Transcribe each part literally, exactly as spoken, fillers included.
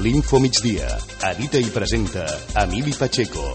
L'Info Migdia. Edita i presenta Emili Pacheco.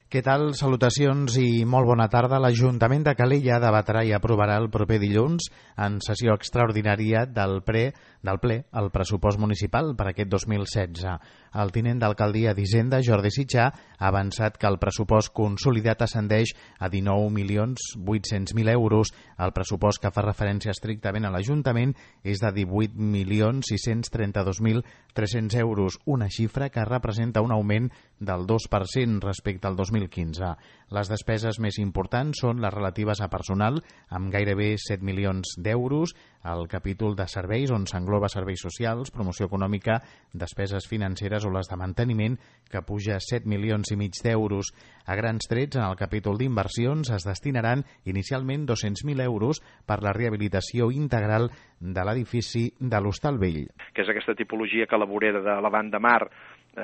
Què tal? Salutacions i molt bona tarda. L'Ajuntament de Calella debatrà i aprovarà el proper dilluns en sessió extraordinària del ple, del ple el pressupost municipal per aquest dos mil setze. El tinent d'alcaldia d'Hisenda, Jordi Sitjar, ha avançat que el pressupost consolidat ascendeix a dinou milions vuit-cents mil euros. El pressupost que fa referència estrictament a l'Ajuntament és de divuit milions sis-cents trenta-dos mil tres-cents euros, una xifra que representa un augment del dos per cent respecte al dos mil quinze. Les despeses més importants són les relatives a personal, amb gairebé set milions d'euros, el capítol de serveis, on s'engloba serveis socials, promoció econòmica, despeses financeres o les de manteniment, que puja set milions i mig d'euros. A grans trets, en el capítol d'inversions es destinaran inicialment dos-cents mil euros per la rehabilitació integral de l'edifici de l'Hostal Vell. Que és aquesta tipologia que la vorera de la Banda Mar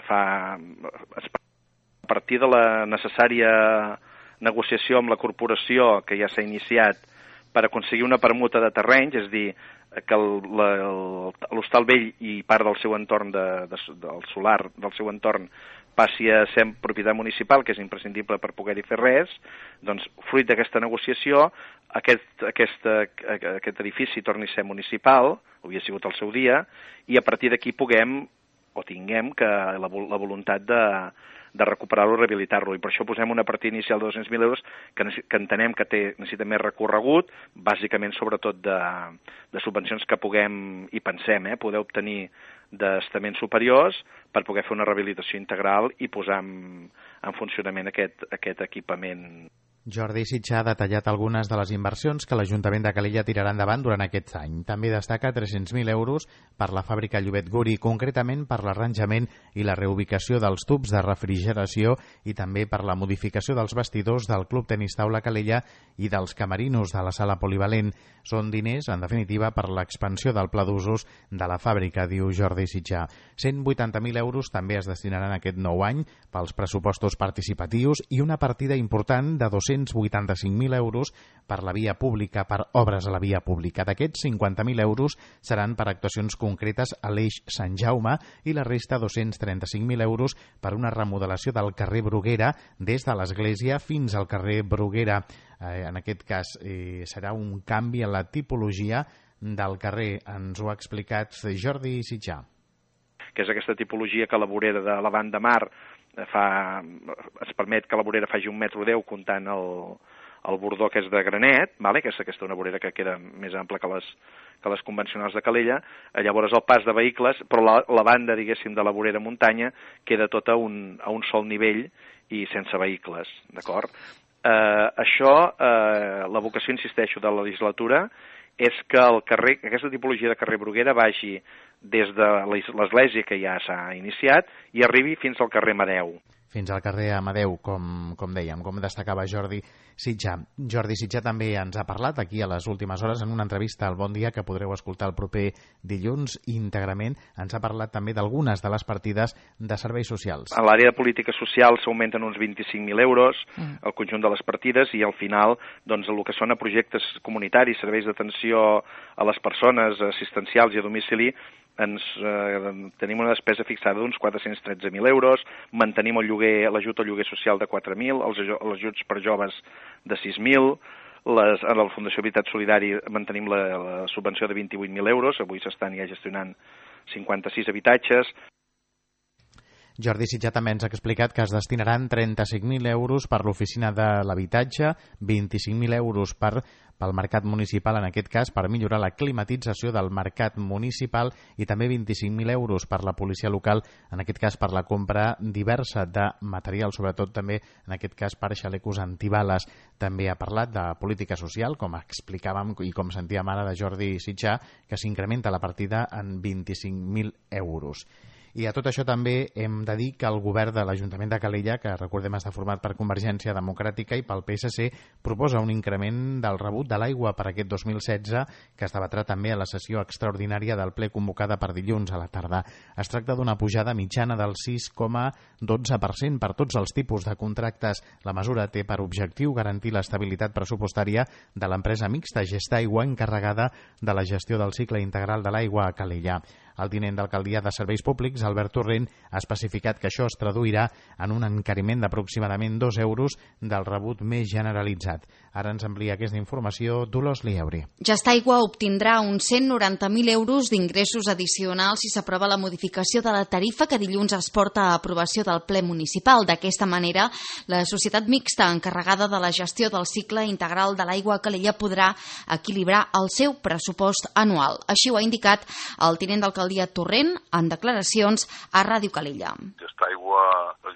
fa a partir de la necessària negociació amb la corporació que ja s'ha iniciat per aconseguir una permuta de terrenys, és a dir, que l'Hostal Vell i part del seu entorn de, de, del solar del seu entorn passi a ser propietat municipal, que és imprescindible per poder-hi fer res. Doncs, fruit d'aquesta negociació, aquest, aquest, aquest edifici torni a ser municipal, havia sigut el seu dia, i a partir d'aquí puguem o tinguem que la, la voluntat de, de recuperar-lo i rehabilitar-lo. I per això posem una partida inicial de dos-cents mil euros que, que entenem que té, necessita més recorregut, bàsicament sobretot de, de subvencions que puguem, i pensem, eh, poder obtenir d'estaments superiors per poder fer una rehabilitació integral i posar en, en funcionament aquest, aquest equipament. Jordi Sitjar ha detallat algunes de les inversions que l'Ajuntament de Calella tirarà endavant durant aquest any. També destaca tres-cents mil euros per la fàbrica Llobet Guri, concretament per l'arranjament i la reubicació dels tubs de refrigeració i també per la modificació dels vestidors del Club Tenis Taula Calella i dels camerinos de la sala polivalent. Són diners, en definitiva, per l'expansió del pla d'usos de la fàbrica, diu Jordi Sitjar. cent vuitanta mil euros també es destinaran aquest nou any pels pressupostos participatius i una partida important de dos-cents vuitanta-cinc mil euros per la via pública, per obres a la via pública. D'aquests, cinquanta mil euros seran per actuacions concretes a l'eix Sant Jaume i la resta, dos-cents trenta-cinc mil euros, per una remodelació del carrer Bruguera des de l'església fins al carrer Bruguera. Eh, en aquest cas eh, serà un canvi en la tipologia del carrer. Ens ho ha explicat Jordi Sitjar. Que és aquesta tipologia que la vorera de la Banda Mar fa, es permet que la vorera faci un metro deu comptant el, el bordó que és de granet, vale? que és aquesta una vorera que queda més ampla que les, que les convencionals de Calella. Llavors el pas de vehicles, però la, la banda, diguéssim, de la vorera muntanya queda tota un, a un sol nivell i sense vehicles, d'acord? Eh, això, eh, la vocació, insisteixo, de la legislatura és que el carrer, aquesta tipologia de carrer Bruguera vagi des de l'església que ja s'ha iniciat i arribi fins al carrer Amadeu. Fins al carrer Amadeu, com, com dèiem, com destacava Jordi Sitjar. Jordi Sitjar també ens ha parlat aquí a les últimes hores en una entrevista al Bon Dia que podreu escoltar el proper dilluns íntegrament. Ens ha parlat també d'algunes de les partides de serveis socials. A l'àrea de política social s'augmenten uns vint-i-cinc mil euros, mm. el conjunt de les partides, i al final doncs, el que són a projectes comunitaris, serveis d'atenció a les persones, assistencials i a domicili, ens eh, tenim una despesa fixada d'uns quatre-cents tretze mil euros, mantenim el lloguer, l'ajut al lloguer social de quatre mil, els, els ajuts per joves de sis mil, les, a la Fundació Habitat Solidari mantenim la, la subvenció de vint-i-vuit mil euros, avui s'estan ja gestionant cinquanta-sis habitatges. Jordi Sitjar també ens ha explicat que es destinaran trenta-cinc mil euros per l'oficina de l'habitatge, vint-i-cinc mil euros per, pel mercat municipal, en aquest cas per millorar la climatització del mercat municipal, i també vint-i-cinc mil euros per la policia local, en aquest cas per la compra diversa de material, sobretot també en aquest cas per xalecos antibales. També ha parlat de política social, com explicàvem i com sentíem ara de Jordi Sitjar, que s'incrementa la partida en vint-i-cinc mil euros. I a tot això també hem de dir que el govern de l'Ajuntament de Calella, que recordem està format per Convergència Democràtica i pel P S C, proposa un increment del rebut de l'aigua per aquest dos mil setze, que es debatrà també a la sessió extraordinària del ple convocada per dilluns a la tarda. Es tracta d'una pujada mitjana del sis coma dotze per cent per tots els tipus de contractes. La mesura té per objectiu garantir l'estabilitat pressupostària de l'empresa mixta Gestaigua, encarregada de la gestió del cicle integral de l'aigua a Calella. El tinent d'alcaldia de Serveis Públics, Albert Torrent, ha especificat que això es traduirà en un encariment d'aproximadament dos euros del rebut més generalitzat. Ara ens amplia aquesta informació Dolors Lieuri. Gestaigua obtindrà uns cent noranta mil euros d'ingressos addicionals si s'aprova la modificació de la tarifa que dilluns es porta a aprovació del ple municipal. D'aquesta manera, la societat mixta encarregada de la gestió del cicle integral de l'aigua a Calella podrà equilibrar el seu pressupost anual. Així ho ha indicat el tinent d'alcaldia Torrent en declaracions a Ràdio Calella. Gestaigua,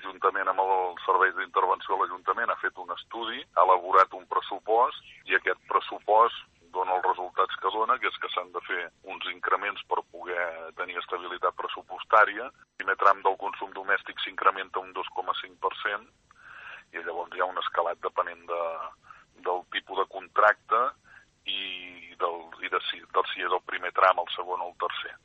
juntament amb els serveis d'intervenció de l'Ajuntament, ha fet un estudi, ha elaborat un pressupost i aquest pressupost dona els resultats que dona, que és que s'han de fer uns increments per poder tenir estabilitat pressupostària. El primer tram del consum domèstic s'incrementa un dos coma cinc per cent i llavors hi ha un escalat depenent de, del tipus de contracte i, del, i de, si, del si és el primer tram, el segon o el tercer.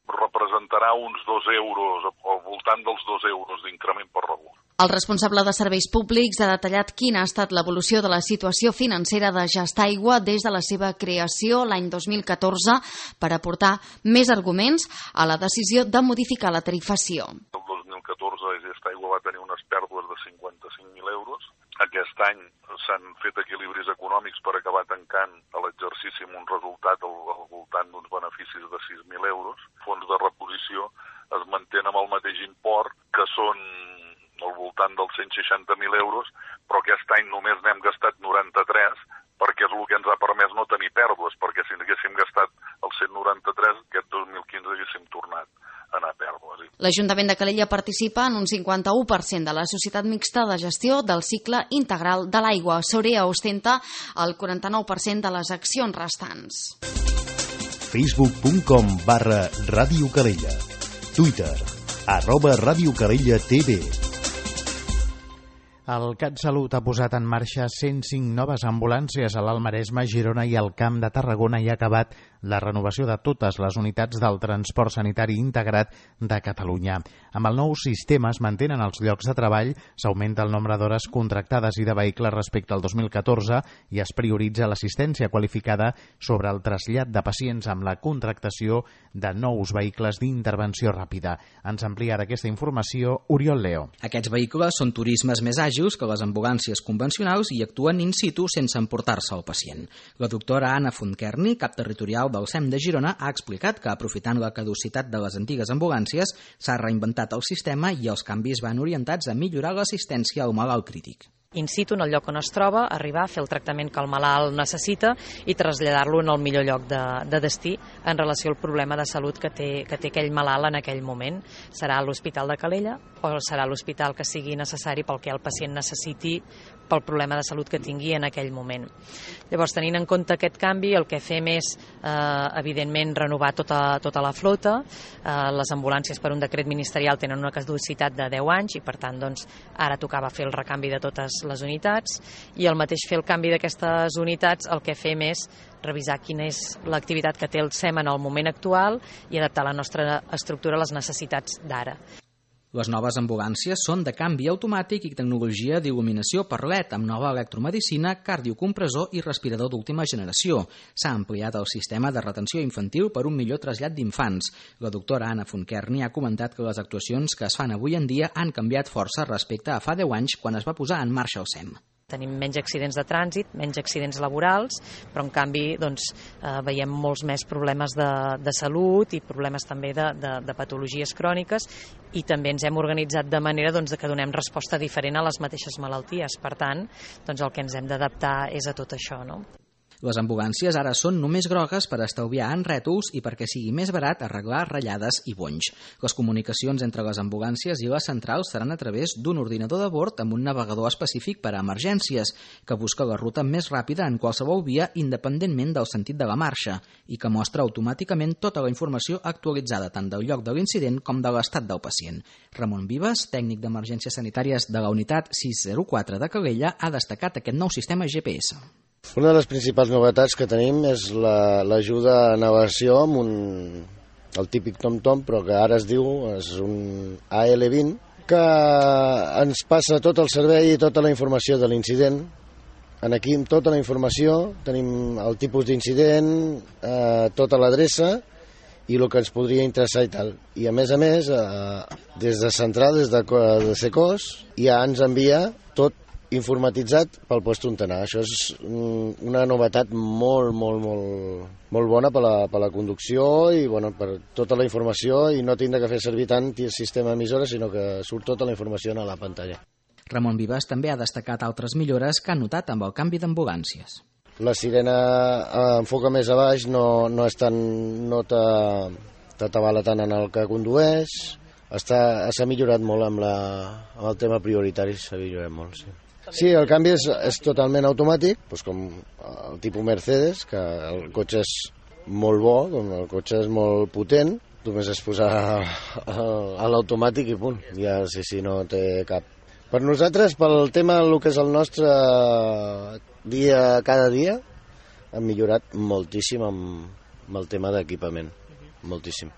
Representarà uns dos euros, al voltant dels dos euros d'increment per rebut. El responsable de Serveis Públics ha detallat quina ha estat l'evolució de la situació financera de Gestaigua des de la seva creació l'any dos mil catorze per aportar més arguments a la decisió de modificar la tarifació. El dos mil catorze Gestaigua va tenir unes pèrdues de cinquanta-cinc mil euros. Aquest any s'han fet equilibris econòmics per acabar tancant l'exercici amb un resultat al, al voltant d'uns beneficis de sis mil euros. Fons de reposició es mantén amb el mateix import, que són al voltant dels cent seixanta mil euros, però aquest any només n'hem gastat noranta-tres, perquè és el que ens ha permès no tenir pèrdues, perquè si haguéssim gastat els cent noranta-tres, aquest dos mil quinze haguéssim tornat a anar a pèrdues. L'Ajuntament de Calella participa en un cinquanta-u per cent de la societat mixta de gestió del cicle integral de l'aigua. Sorea ostenta el quaranta-nou per cent de les accions restants. facebook punt com barra Ràdio Calella. Twitter, arroba Ràdio Calella T V. El CatSalut ha posat en marxa cent cinc noves ambulàncies a l'Alt Maresme, Girona i al Camp de Tarragona i ha acabat la renovació de totes les unitats del transport sanitari integrat de Catalunya. Amb el nou sistema es mantenen els llocs de treball, s'augmenta el nombre d'hores contractades i de vehicles respecte al dos mil catorze i es prioritza l'assistència qualificada sobre el trasllat de pacients amb la contractació de nous vehicles d'intervenció ràpida. Ens amplia aquesta informació Oriol Leo. Aquests vehicles són turismes més àgils que les ambulàncies convencionals i actuen in situ sense emportar-se el pacient. La doctora Anna Fontkerni, cap territorial del S E M de Girona, ha explicat que, aprofitant la caducitat de les antigues ambulàncies, s'ha reinventat el sistema i els canvis van orientats a millorar l'assistència al malalt crític. In situ, en el lloc on es troba, arribar a fer el tractament que el malalt necessita i traslladar-lo en el millor lloc de, de destí en relació al problema de salut que té, que té aquell malalt en aquell moment. Serà l'Hospital de Calella o serà l'hospital que sigui necessari pel que el pacient necessiti pel problema de salut que tingui en aquell moment. Llavors, tenint en compte aquest canvi, el que fem és, eh, evidentment, renovar tota, tota la flota. Eh, les ambulàncies per un decret ministerial tenen una caducitat de deu anys i, per tant, doncs, ara tocava fer el recanvi de totes les unitats i al mateix fer el canvi d'aquestes unitats el que fem és revisar quina és l'activitat que té el S E M en el moment actual i adaptar la nostra estructura a les necessitats d'ara. Les noves ambulàncies són de canvi automàtic i tecnologia d'il·luminació per L E D amb nova electromedicina, cardiocompressor i respirador d'última generació. S'ha ampliat el sistema de retenció infantil per un millor trasllat d'infants. La doctora Anna Fontkerni ha comentat que les actuacions que es fan avui en dia han canviat força respecte a fa deu anys quan es va posar en marxa el S E M. Tenim menys accidents de trànsit, menys accidents laborals, però en canvi doncs, eh, veiem molts més problemes de, de salut i problemes també de, de, de patologies cròniques i també ens hem organitzat de manera doncs, que donem resposta diferent a les mateixes malalties. Per tant, doncs, el que ens hem d'adaptar és a tot això, no? Les ambulàncies ara són només grogues per estalviar en rètols i perquè sigui més barat arreglar ratllades i bonys. Les comunicacions entre les ambulàncies i les centrals seran a través d'un ordinador de bord amb un navegador específic per a emergències, que busca la ruta més ràpida en qualsevol via independentment del sentit de la marxa i que mostra automàticament tota la informació actualitzada tant del lloc de l'incident com de l'estat del pacient. Ramon Vives, tècnic d'emergències sanitàries de la unitat sis zero quatre de Calella, ha destacat aquest nou sistema G P S. Una de les principals novetats que tenim és l'ajuda la, a navegació amb un, el típic TomTom, però que ara es diu és un A L vint, que ens passa tot el servei i tota la informació de l'incident. Aquí amb tota la informació tenim el tipus d'incident, eh, tota l'adreça i el que ens podria interessar i tal. I a més a més, eh, des de Central, des de, de Secos, ja ens envia tot informatitzat pel lloc on anar. Això és una novetat molt, molt, molt, molt bona per la, per la conducció i bueno, per tota la informació, i no tindre que fer servir tant el sistema emissora, sinó que surt tota la informació a la pantalla. Ramon Vives també ha destacat altres millores que ha notat amb el canvi d'ambulàncies. La sirena enfoca més a baix, no, no, és tan, no t'atabala tant en el que condueix. S'ha millorat molt amb, la, amb el tema prioritari, s'ha millorat molt, sí. Sí, el canvi és, és totalment automàtic, doncs com el tipus Mercedes, que el cotxe és molt bo, com el cotxe és molt potent, només és posar a l'automàtic i punt, ja sí, sí, no té cap. Per nosaltres, pel tema del que és el nostre dia cada dia, hem millorat moltíssim amb, amb el tema d'equipament, moltíssim.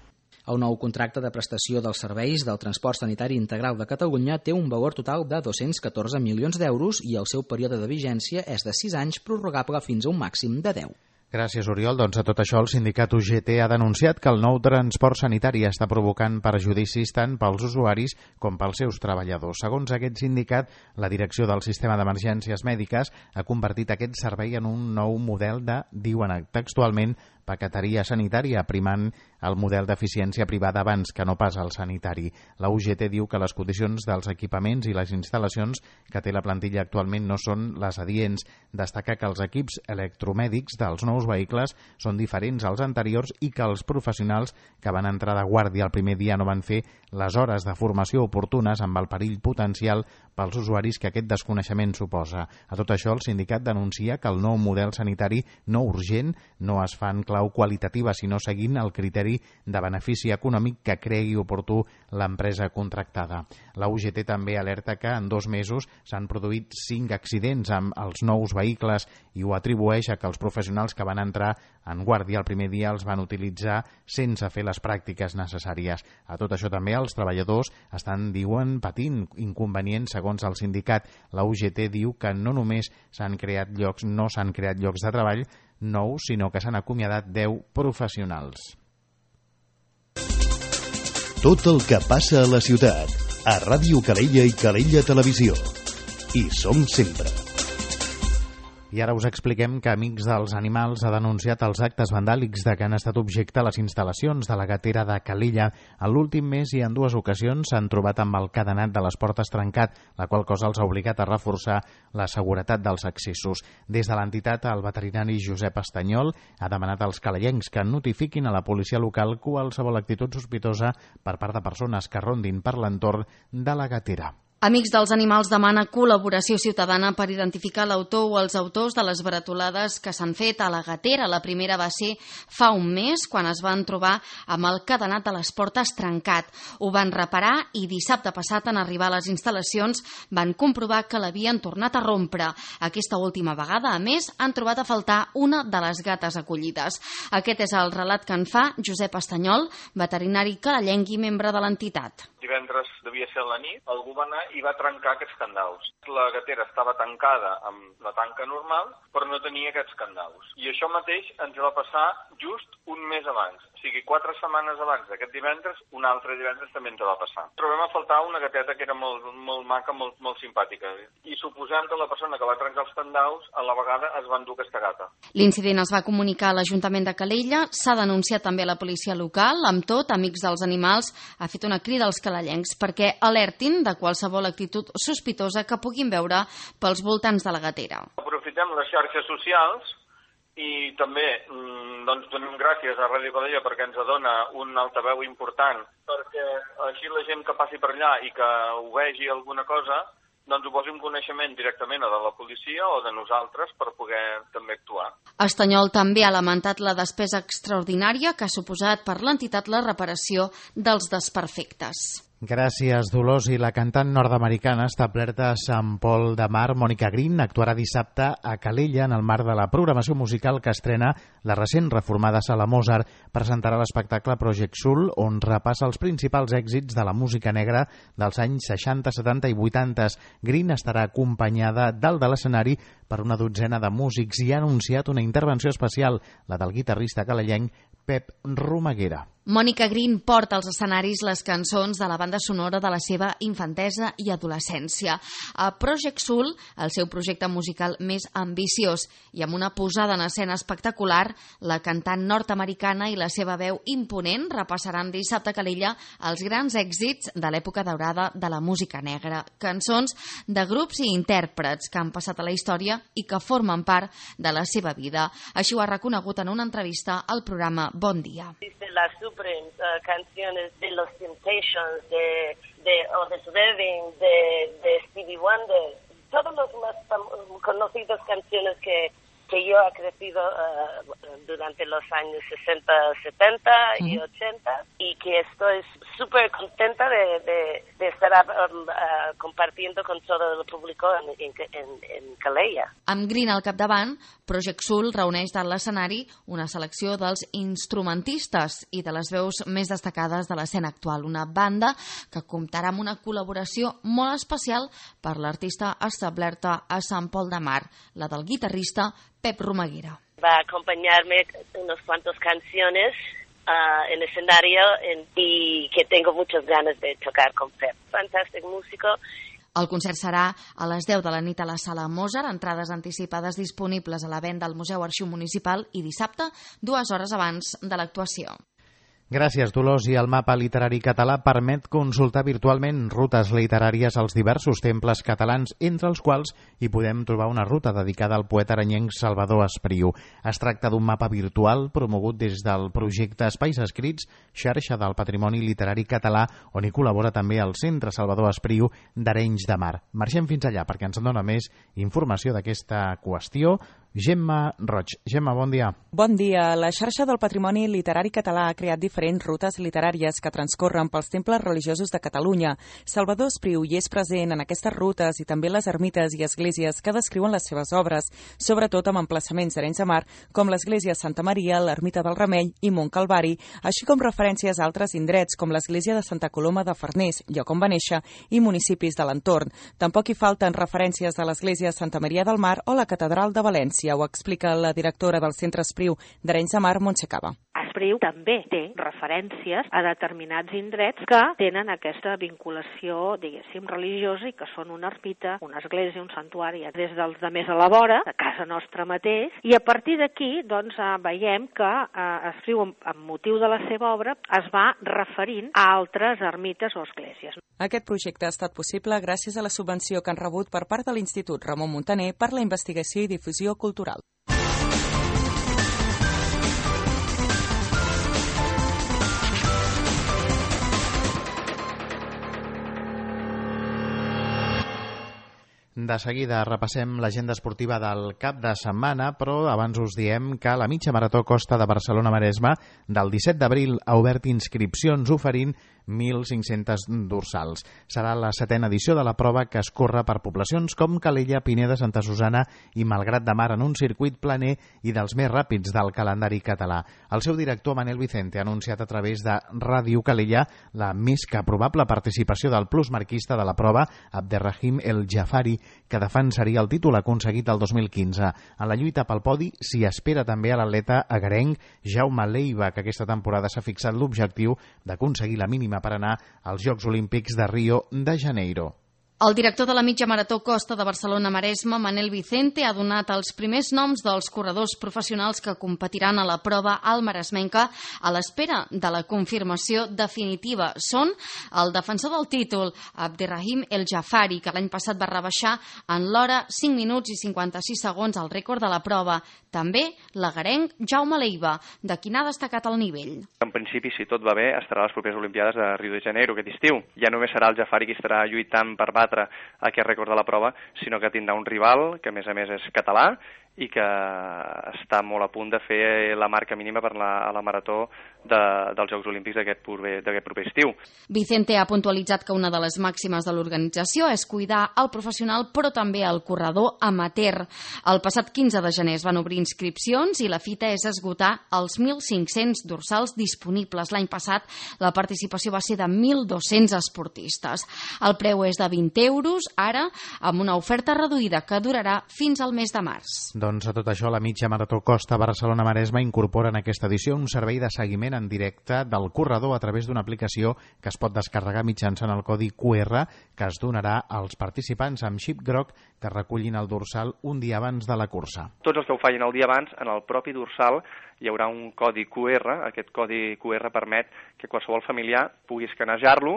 El nou contracte de prestació dels serveis del transport sanitari integral de Catalunya té un valor total de dos-cents catorze milions d'euros i el seu període de vigència és de sis anys, prorrogable fins a un màxim de deu. Gràcies, Oriol. Doncs a tot això el sindicat U G T ha denunciat que el nou transport sanitari està provocant perjudicis tant pels usuaris com pels seus treballadors. Segons aquest sindicat, la direcció del sistema d'emergències mèdiques ha convertit aquest servei en un nou model de, diuen textualment, paqueteria sanitària, primant el model d'eficiència privada abans que no pas el sanitari. La U G T diu que les condicions dels equipaments i les instal·lacions que té la plantilla actualment no són les adients. Destaca que els equips electromèdics dels nous vehicles són diferents als anteriors i que els professionals que van entrar de guàrdia el primer dia no van fer les hores de formació oportunes amb el perill potencial pels usuaris que aquest desconeixement suposa. A tot això, el sindicat denuncia que el nou model sanitari no urgent no es fa en clau qualitativa, sinó seguint el criteri de benefici econòmic que cregui oportú l'empresa contractada. La U G T també alerta que en dos mesos s'han produït cinc accidents amb els nous vehicles i ho atribueix a que els professionals que van entrar en guàrdia el primer dia els van utilitzar sense fer les pràctiques necessàries. A tot això també els treballadors estan, diuen, patint inconvenients segons el sindicat. La U G T diu que no només s'han creat llocs, no s'han creat llocs de treball nous, sinó que s'han acomiadat deu professionals. Tot el que passa a la ciutat, a Ràdio Calella i Calella Televisió. Hi som sempre. I ara us expliquem que Amics dels Animals ha denunciat els actes vandàlics de què han estat objecte les instal·lacions de la gatera de Calella. En l'últim mes i en dues ocasions s'han trobat amb el cadenat de les portes trencat, la qual cosa els ha obligat a reforçar la seguretat dels accessos. Des de l'entitat, el veterinari Josep Estanyol ha demanat als calellencs que notifiquin a la policia local qualsevol actitud sospitosa per part de persones que rondin per l'entorn de la gatera. Amics dels Animals demana col·laboració ciutadana per identificar l'autor o els autors de les baratolades que s'han fet a la gatera. La primera va ser fa un mes, quan es van trobar amb el cadenat de les portes trencat. Ho van reparar i dissabte passat, en arribar a les instal·lacions, van comprovar que l'havien tornat a rompre. Aquesta última vegada, a més, han trobat a faltar una de les gates acollides. Aquest és el relat que en fa Josep Estanyol, veterinari calellenc i membre de l'entitat. Divendres devia ser a la nit, algú va anar i va trencar aquests candaus. La gatera estava tancada amb la tanca normal, però no tenia aquests candaus. I això mateix ens va passar just un mes abans. O sigui, quatre setmanes abans d'aquest divendres, un altre divendres també ens va passar. Trobem a faltar una gateta que era molt, molt maca, molt, molt simpàtica. I suposem que la persona que va trencar els candaus, a la vegada es va endur aquesta gata. L'incident es va comunicar a l'Ajuntament de Calella, s'ha denunciat també a la policia local. Amb tot, Amics dels Animals ha fet una crida als calellencs perquè alertin de qualsevol actitud sospitosa que puguin veure pels voltants de la gatera. Aprofitem les xarxes socials i també doncs, donem gràcies a Ràdio Calella perquè ens dona un altaveu important, perquè així la gent que passi per allà i que ho vegi alguna cosa, doncs ho posi en coneixement directament a de la policia o de nosaltres per poder també actuar. Estanyol també ha lamentat la despesa extraordinària que ha suposat per l'entitat la reparació dels desperfectes. Gràcies, Dolors. I la cantant nord-americana establerta a Sant Pol de Mar, Mònica Green, actuarà dissabte a Calella en el marc de la programació musical que estrena la recent reformada Sala Mozart. Presentarà l'espectacle Project Soul, on repassa els principals èxits de la música negra dels anys seixanta, setanta i vuitanta. Green estarà acompanyada dalt de l'escenari per una dotzena de músics i ha anunciat una intervenció especial, la del guitarrista calellenc Pep Romaguera. Mònica Green porta als escenaris les cançons de la banda sonora de la seva infantesa i adolescència. A Project Soul, el seu projecte musical més ambiciós, i amb una posada en escena espectacular, la cantant nord-americana i la seva veu imponent repassaran dissabte a Calella els grans èxits de l'època daurada de la música negra. Cançons de grups i intèrprets que han passat a la història i que formen part de la seva vida. Així ho ha reconegut en una entrevista al programa Bon Dia. Las Supremes, uh, canciones de los Temptations, de, de Otis Redding, de, de Stevie Wonder, todas las más conocidas canciones que, que yo he crecido uh, durante los años sesenta, setenta y ochenta, y que estoy súper contenta de, de, de estar um, uh, compartiendo con todo el público en, en, en Calella. Amb Green al capdavant, Project Soul reuneix dalt l'escenari una selecció dels instrumentistes i de les veus més destacades de l'escena actual. Una banda que comptarà amb una col·laboració molt especial per l'artista establerta a Sant Pol de Mar, la del guitarrista Pep Romaguera. Va a acompañarme unas cuantas canciones uh, en escenario en, y que tengo muchas ganas de tocar con Pep. Fantástico músico. El concert serà a les deu de la nit a la Sala Mozart, entrades anticipades disponibles a la venda al Museu Arxiu Municipal i dissabte, dues hores abans de l'actuació. Gràcies, Dolors. I el mapa literari català permet consultar virtualment rutes literàries als diversos temples catalans, entre els quals hi podem trobar una ruta dedicada al poeta aranyenc Salvador Espriu. Es tracta d'un mapa virtual promogut des del projecte Espais Escrits, xarxa del patrimoni literari català, on hi col·labora també el Centre Salvador Espriu d'Arenys de Mar. Marxem fins allà perquè ens en dona més informació d'aquesta qüestió Gemma Roig. Gemma, bon dia. Bon dia. La xarxa del patrimoni literari català ha creat diferents rutes literàries que transcorren pels temples religiosos de Catalunya. Salvador Espriu hi és present en aquestes rutes i també les ermites i esglésies que descriuen les seves obres, sobretot amb emplaçaments d'Arenys de Mar, com l'església Santa Maria, l'ermita del Remei i Mont Calvari, així com referències a altres indrets com l'església de Santa Coloma de Farners, lloc on va néixer, i municipis de l'entorn. Tampoc hi falten referències a l'església Santa Maria del Mar o la catedral de València. Ho explica la directora del Centre Espriu d'Arenys de Mar, Montse Cava. Espriu també té referències a determinats indrets que tenen aquesta vinculació, diguéssim, religiosa i que són una ermita, una església, un santuari, des dels de més a la vora, a casa nostra mateix, i a partir d'aquí doncs, veiem que eh, Espriu, amb motiu de la seva obra, es va referint a altres ermites o esglésies. Aquest projecte ha estat possible gràcies a la subvenció que han rebut per part de l'Institut Ramon Muntaner per la investigació i difusió cultural. De seguida repassem l'agenda esportiva del cap de setmana, però abans us diem que la mitja marató Costa de Barcelona-Maresme del disset d'abril ha obert inscripcions oferint mil cinc-centes dorsals. Serà la setena edició de la prova que es corre per poblacions com Calella, Pineda, Santa Susana i Malgrat de Mar en un circuit planer i dels més ràpids del calendari català. El seu director, Manel Vicente, ha anunciat a través de Ràdio Calella la més que probable participació del plusmarquista de la prova, Abderrahim El Jafari, que defensaria el títol aconseguit el dos mil quinze. En la lluita pel podi s'hi espera també a l'atleta agarenc Jaume Leiva, que aquesta temporada s'ha fixat l'objectiu d'aconseguir la mínima per anar als Jocs Olímpics de Rio de Janeiro. El director de la mitja marató Costa de Barcelona-Maresme, Manel Vicente, ha donat els primers noms dels corredors professionals que competiran a la prova al Maresmenca a l'espera de la confirmació definitiva. Són el defensor del títol, Abderrahim El Jafari, que l'any passat va rebaixar en l'hora cinc minuts i cinquanta-sis segons el rècord de la prova. També l'agarenc Jaume Leiva, de qui n'ha destacat el nivell. En principi, si tot va bé, estarà a les properes Olimpiades de Rio de Janeiro aquest estiu. Ja només serà el Jafari qui estarà lluitant per batre aquest rècord de la prova, sinó que tindrà un rival que a més a més és català i que està molt a punt de fer la marca mínima per la, a la marató de, dels Jocs Olímpics d'aquest proper, proper estiu. Vicente ha puntualitzat que una de les màximes de l'organització és cuidar el professional però també el corredor amateur. El passat quinze de gener es van obrir inscripcions i la fita és esgotar els mil cinc-cents dorsals disponibles. L'any passat la participació va ser de mil dos-cents esportistes. El preu és de vint euros, ara amb una oferta reduïda que durarà fins al mes de març. Doncs a tot això, la mitja marató Costa Barcelona-Maresme incorpora en aquesta edició un servei de seguiment en directe del corredor a través d'una aplicació que es pot descarregar mitjançant el codi Q R que es donarà als participants amb xip groc que recullin el dorsal un dia abans de la cursa. Tots els que ho facin el dia abans, en el propi dorsal hi haurà un codi Q R. Aquest codi Q R permet que qualsevol familiar pugui escanejar-lo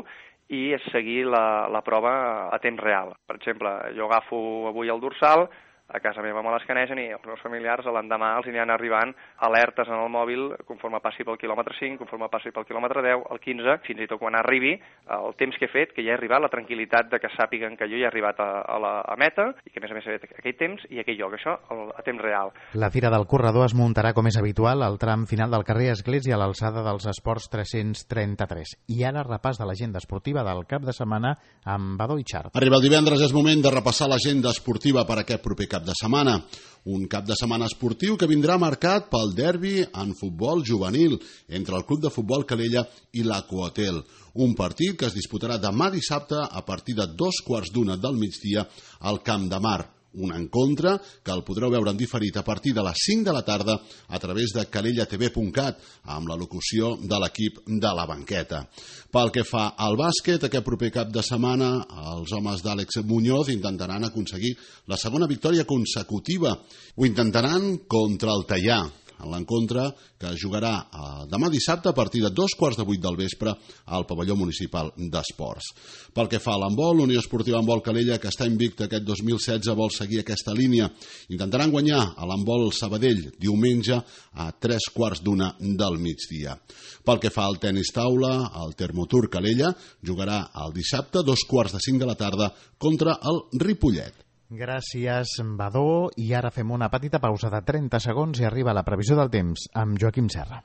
i seguir la, la prova a temps real. Per exemple, jo agafo avui el dorsal, a casa meva me l'escanegen i els meus familiars l'endemà els aniran arribant alertes en el mòbil conforme passi pel quilòmetre cinc, conforme passi pel quilòmetre deu, el quinze, fins i tot quan arribi el temps que he fet, que ja he arribat, la tranquil·litat de que sàpiguen que jo ja he arribat a, a la a meta i que a més a més he fet aquell temps i aquell lloc, això a temps real. La Fira del Corredor es muntarà com és habitual al tram final del carrer Església a l'alçada dels Esports tres-cents trenta-tres. I ara repàs de l'agenda esportiva del cap de setmana amb Badó i Xart. Arriba el divendres, és moment de repassar l'agenda esportiva per aquest proper cap de setmana. Un cap de setmana esportiu que vindrà marcat pel derbi en futbol juvenil entre el Club de Futbol Calella i l'Aqüahotel. Un partit que es disputarà demà dissabte a partir de dos quarts d'una del migdia al Camp de Mar. Un encontre que el podreu veure en diferit a partir de les cinc de la tarda a través de calella t v punt cat amb la locució de l'equip de la banqueta. Pel que fa al bàsquet, aquest proper cap de setmana els homes d'Àlex Muñoz intentaran aconseguir la segona victòria consecutiva. Ho intentaran contra el Teià, en l'encontre que jugarà demà dissabte a partir de dos quarts de vuit del vespre al pavelló municipal d'esports. Pel que fa a l'handbol, l'Unió Esportiva Handbol Calella, que està invicta aquest dos mil setze, vol seguir aquesta línia. Intentaran guanyar a l'handbol Sabadell diumenge a tres quarts d'una del migdia. Pel que fa al tenis taula, el Termotur Calella jugarà el dissabte a dos quarts de cinc de la tarda contra el Ripollet. Gràcies, Badó. I ara fem una petita pausa de trenta segons i arriba la previsió del temps amb Joaquim Serra.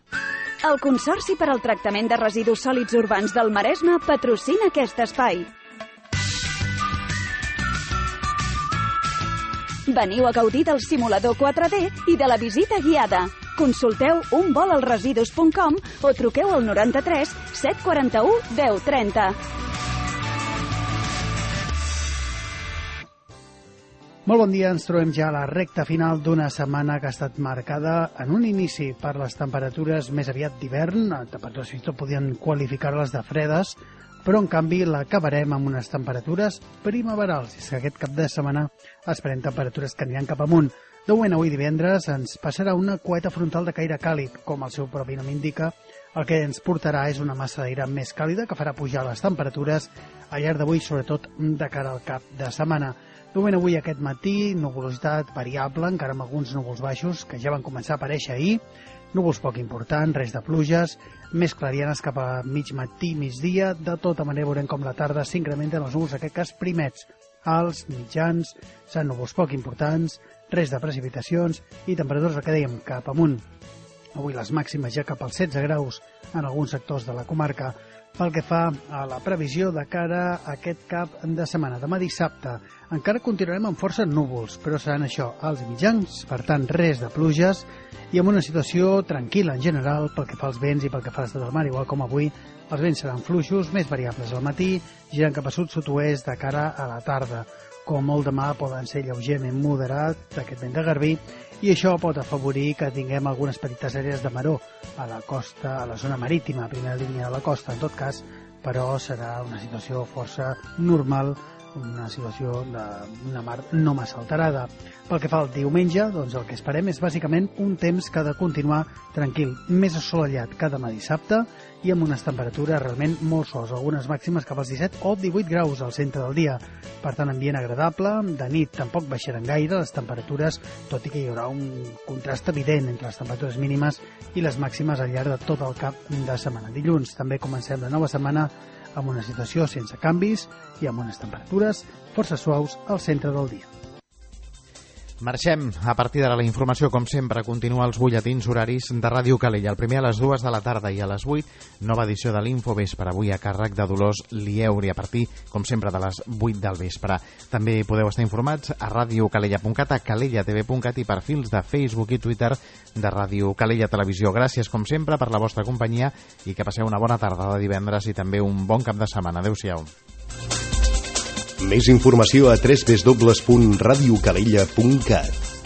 El Consorci per al Tractament de Residus Sòlids Urbans del Maresme patrocina aquest espai. Veniu a gaudir del simulador quatre D i de la visita guiada. Consulteu un vol al residus punt com o truqueu al noranta-tres set quaranta-u deu trenta. Molt bon dia, ens trobem ja a la recta final d'una setmana que ha estat marcada en un inici per les temperatures més aviat d'hivern, temperatures fins i tot podien qualificar-les de fredes, però en canvi l'acabarem amb unes temperatures primaverals. És que aquest cap de setmana esperem temperatures que aniran cap amunt. De moment, avui divendres, ens passarà una coeta frontal de caire càlid, com el seu propi nom indica. El que ens portarà és una massa d'aire més càlida que farà pujar les temperatures al llarg d'avui, sobretot de cara al cap de setmana. De moment, avui aquest matí, nuvolositat variable, encara amb alguns núvols baixos que ja van començar a aparèixer ahir, núvols poc importants, res de pluges, més clarianes cap a mig matí, migdia. De tota manera veurem com la tarda s'incrementen els núvols, en aquest cas primets, alts, mitjans, seran núvols poc importants, res de precipitacions i temperatures, el que dèiem, cap amunt. Avui les màximes ja cap als setze graus en alguns sectors de la comarca. Pel que fa a la previsió de cara a aquest cap de setmana, demà dissabte, encara continuarem amb força núvols, però seran això, alts i mitjans, per tant res de pluges i amb una situació tranquil·la en general pel que fa als vents i pel que fa a l'estat del mar, igual com avui els vents seran fluixos, més variables al matí, girant cap a sud-sud-oest de cara a la tarda. Com molt demà poden ser lleugerament moderat d'aquest vent de garbí i això pot afavorir que tinguem algunes petites àrees de maror a la costa, a la zona marítima, a primera línia de la costa, en tot cas, però serà una situació força normal, una situació d'una mar no massa alterada. Pel que fa al diumenge, doncs el que esperem és bàsicament un temps que ha de continuar tranquil, més assolellat que demà dissabte i amb unes temperatures realment molt suaus, algunes màximes cap als disset o divuit graus al centre del dia. Per tant, ambient agradable, de nit tampoc baixaran gaire les temperatures, tot i que hi haurà un contrast evident entre les temperatures mínimes i les màximes al llarg de tot el cap de setmana. Dilluns també comencem la nova setmana amb una situació sense canvis i amb unes temperatures força suaus al centre del dia. Marxem. A partir d'ara la informació, com sempre, continua els butlletins horaris de Ràdio Calella. El primer a les dues de la tarda i a les vuit, nova edició de l'Infovespre, avui a càrrec de Dolors Lieuri, a partir, com sempre, de les vuit del vespre. També podeu estar informats a radiocalella punt cat, a calella t v punt cat i perfils de Facebook i Twitter de Ràdio Calella Televisió. Gràcies, com sempre, per la vostra companyia i que passeu una bona tarda de divendres i també un bon cap de setmana. Adéu-siau. Més informació a w w w punt radiocalella punt cat.